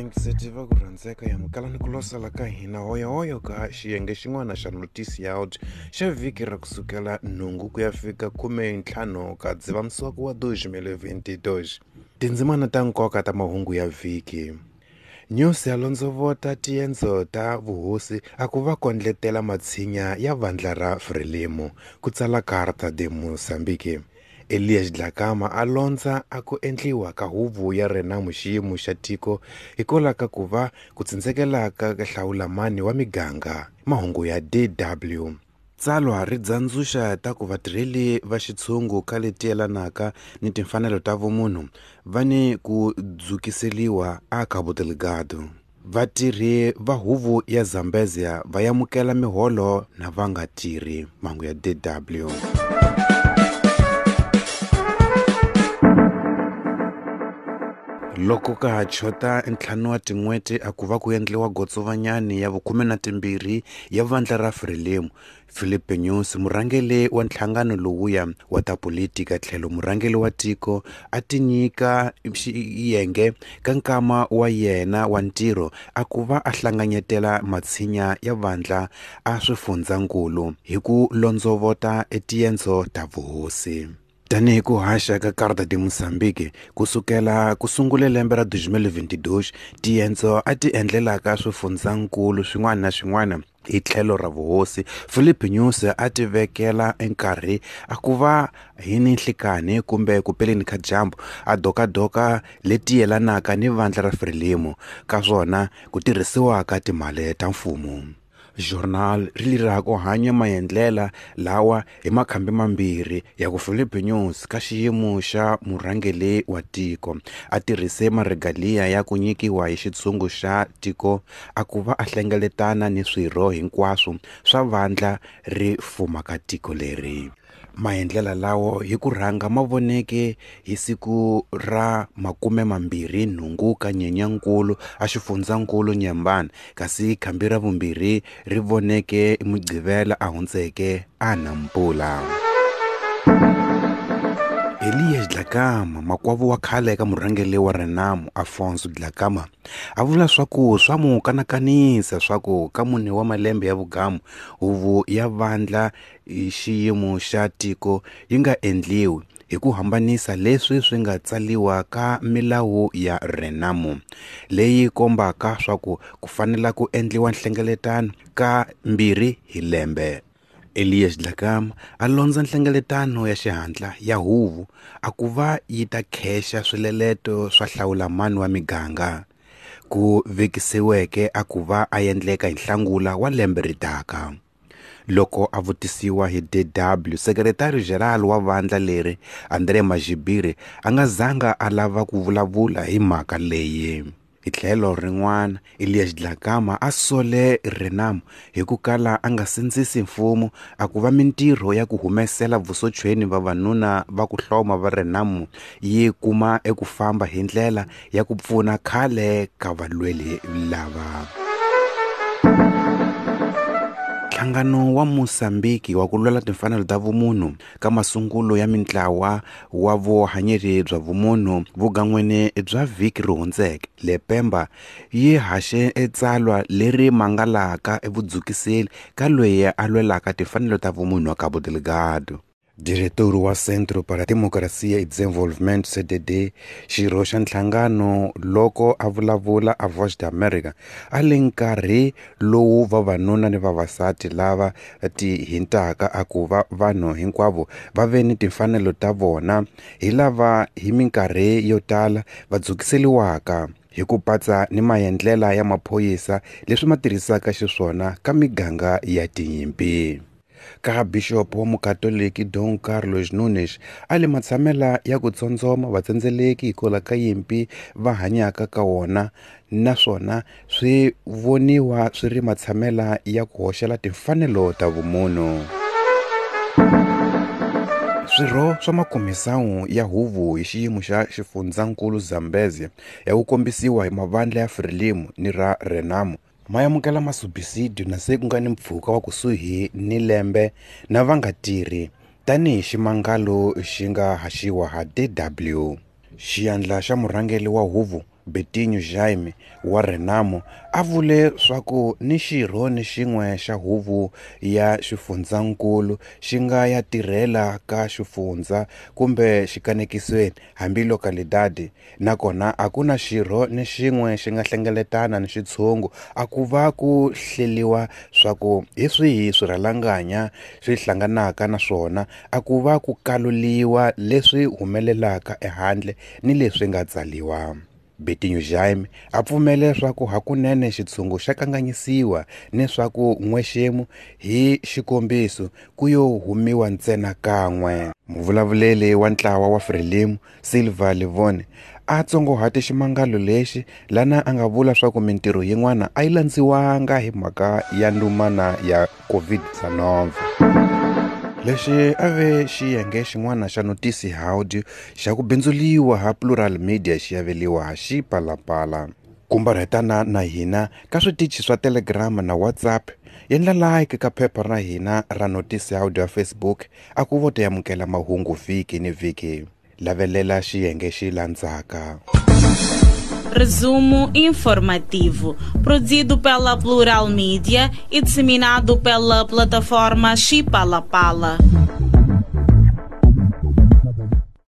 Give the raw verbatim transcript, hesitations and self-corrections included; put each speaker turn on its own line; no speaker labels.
Vayingiseti va ku rhandzeka ya mukalani ku losela ka hina hoyohoyo ka xiyenge xin'wana xa notisi ya out xa vhiki ra kusukela nhungu ku ya fika khume ntlhanu ka Dzivamisoko wa dois mil vinte e dois. Tindzimana ta nkoka ta mahungu ya vhiki. News ya londzovota tiendzo ta vuhosi a ku va kondletela matshinya ya vandla ra Frelimo, ku tsala Carta de Moçambique. Elias Dhlakama a londza a ku endliwa ka huvo ya Renamo xiyimo xa tiko hikwalaho ka ku va ku tsindzekela ka hlawulamani wa miganga. Mahungu ya D W. Tsalwa ri dzandzuxa ta ku vatirheli va xitshungu ka leti yelanaka ni timfanelo ta vumunhu va ni ku dzukiseliwa a Cabo Delgado. Vatirhi va huvo ya Zambezia va yamukela miholo na va nga tirhi. Mahungu ya D W. Loko ka ha chota ntlhanu wa tin'hweti a ku va ku endliwa gotsovanyani ya vukhume na timbirhi ya vandla ra Frelimo, Filipe Nyusi, murhangeri wa nhlangano lowuya wa ta politika tlhelo murhangeri wa tiko, a tinyika xiyenge ka nkama wa yena wa ntirho a ku va a hlanganyetela matshinya ya vandla a swifundzankulu hi ku londzovota etiendzo ta vuhosi. Tanihi ku haxa ka Carta de Moçambique kusukela ku sungule lembe ra dois mil vinte e dois, tiendzo a ti endlelaka swifundzankulu swin'wana na swin'wana hi tlhelo ra vuhosi, Filipe Nyusi a ti vekela enkarhi a ku va hi ni nhlikanhi kumbe ku peleni ka dyambu a dokadoka leti yelanaka ni vandla ra Frelimo ka swona ku tirhisiwaka timali ta mfumo. Journal ri lira ku hanya maendlela lawa hi makhambi mambirhi ya ku Filipe Nyusi ka xiyimo xa murhangeri wa tiko a tirhise maregaliya ya ku nyikiwa hi xitshungu xa tiko a ku va a hlengeletana ni swirho hinkwaswo swa vandla ri fumaka tiko leri. Maendlela lawo hi ku rhanga ma voneke hi siku ra makume mambirhi nhungu ka Nyenyankulu a xifundzankulu Nyembane, kasi khambi ra vumbirhi ri voneke Mugqivela a hundzeke a Nampula. Elias Dhlakama, makwavo wa khale ka murhangeri wa Renamo Afonso Dhlakama, a vula swa ku swa mu kanakanisa swa ku ka mune wa malembe ya vugamu huvo ya vandla hi xiyimo xa tiko yi nga endliwi hi ku hambanisa leswi swi nga tsaliwa ka milawu ya Renamo leyi kombaka swa ku ku fanele ku endliwa nhlengeletano ka mbirhi hi lembe. Elias Dhlakama a londza nhlengeletano ya xihatla ya huvo a ku va yi ta khexa swileleto swa hlawulamani wa miganga ku vekisiweke a ku va a endleka hi Nhlangula wa lembe ri taka. Loko a vutisiwa hi D W, Secretary General wa vandla leri André Magibire a nga zanga a lava ku vulavula hi mhaka leyi. Hi tlhelo rin'wana, Elias Dhlakama a sole Renamo hi ku kala a nga sindzisi mfumo a ku va mintirho ya ku humesela vusochweni vavanuna va ku hloma va Renamo yi kuma eku famba hi ndlela ya ku pfuna khale ka valweli lava. Nhlangano wa Mozambiki wa ku lwela timfanelo ta vumunhu ka masungulo ya mintlawa wa vuhanyeri bya vumunhu vugan'wini bya vhiki ri hundzeke le Pemba yi haxe etsalwa leri mangalaka evudzukiseli ka loyi a lwelaka timfanelo ta vumunhu wa Cabo Delgado. Diretor wa Centro para a Democracia e Desenvolvimento C D D, xirho xa nhlangano, loko a vulavula a Voice da America a le nkarhi lowu vavanuna ni vavasati lava ti hintaka a ku va vanhu hinkwavo va ve ni timfanelo ta vona hi lava hi minkarhi yo tala va dzukiseliwaka hi ku patsa ni maendlela ya maphorisa leswi ma tirhisaka xiswona ka miganga ya tinyimpi. Ka bixopo wa mukatoliki Dom Carlos Nunes a le matshamela ya ku tsondzoma vatsendzeleki hikwalaho ka yimpi va hanyaka ka wona, naswona swi voniwa swi ri matshamela ya ku hoxela timfanelo ta vumunhu. Swirho swa makomisawu ya huvo hi xiyimo xa xifundzankulu Zambezia ya ku kombisiwa hi mavandla ya Frelimo ni ra Renamo ma amukela masubisidio na se ku nga ni mpfhuka wa kusuhi ni lembe na va nga tirhi, tanihi ximangalo xi nga haxiwa ha D W. Xiyandla xa murhangeri wa huvo Betinho Jaime wa Renamo a vule swaku ni xirho ni xin'we xa huvo ya xifundzankulu xi nga ya tirhela ka xifundza kumbe xikanekisweni hambi localidade, nakona a ku na xirho ni xin'we xi nga hlengeletana ni xitshungu a ku va ku hleliwa swaku hi swihi swirhalanganya swi hlanganaka na swona a ku va ku kaluliwa leswi humelelaka ehandle ni leswi nga tsaliwa. Betinho Jaime a pfumele leswaku hakunene xitshungu xa kanganyisiwa ni swaku n'wexemu hi xikombiso ku yo humiwa ntsena kan'we. Muvulavuleri wa ntlawa wa Frelimo, Silva Livone, a tsongohate ximangalo lexi lana a nga vula swaku mintirho yin'wana a yi landziwanga hi mhaka ya ndumana ya COVID nineteen. Lexi a ve xiyenge xin'wana xa Notícia Áudio xa ku bindzuliwa ha Plural Media xi aveliwa ha Xipalapala. Kumbarhetana na hina ka switichi swa Telegram na WhatsApp, endla like ka phepha ra hina ra Notícia Áudio ya Facebook a ku vo ta amukela mahungu vhiki ni vhiki. Lavelela xiyenge xi landzaka.
Resumo informativo, produzido pela Plural Media e disseminado pela plataforma Xipalapala.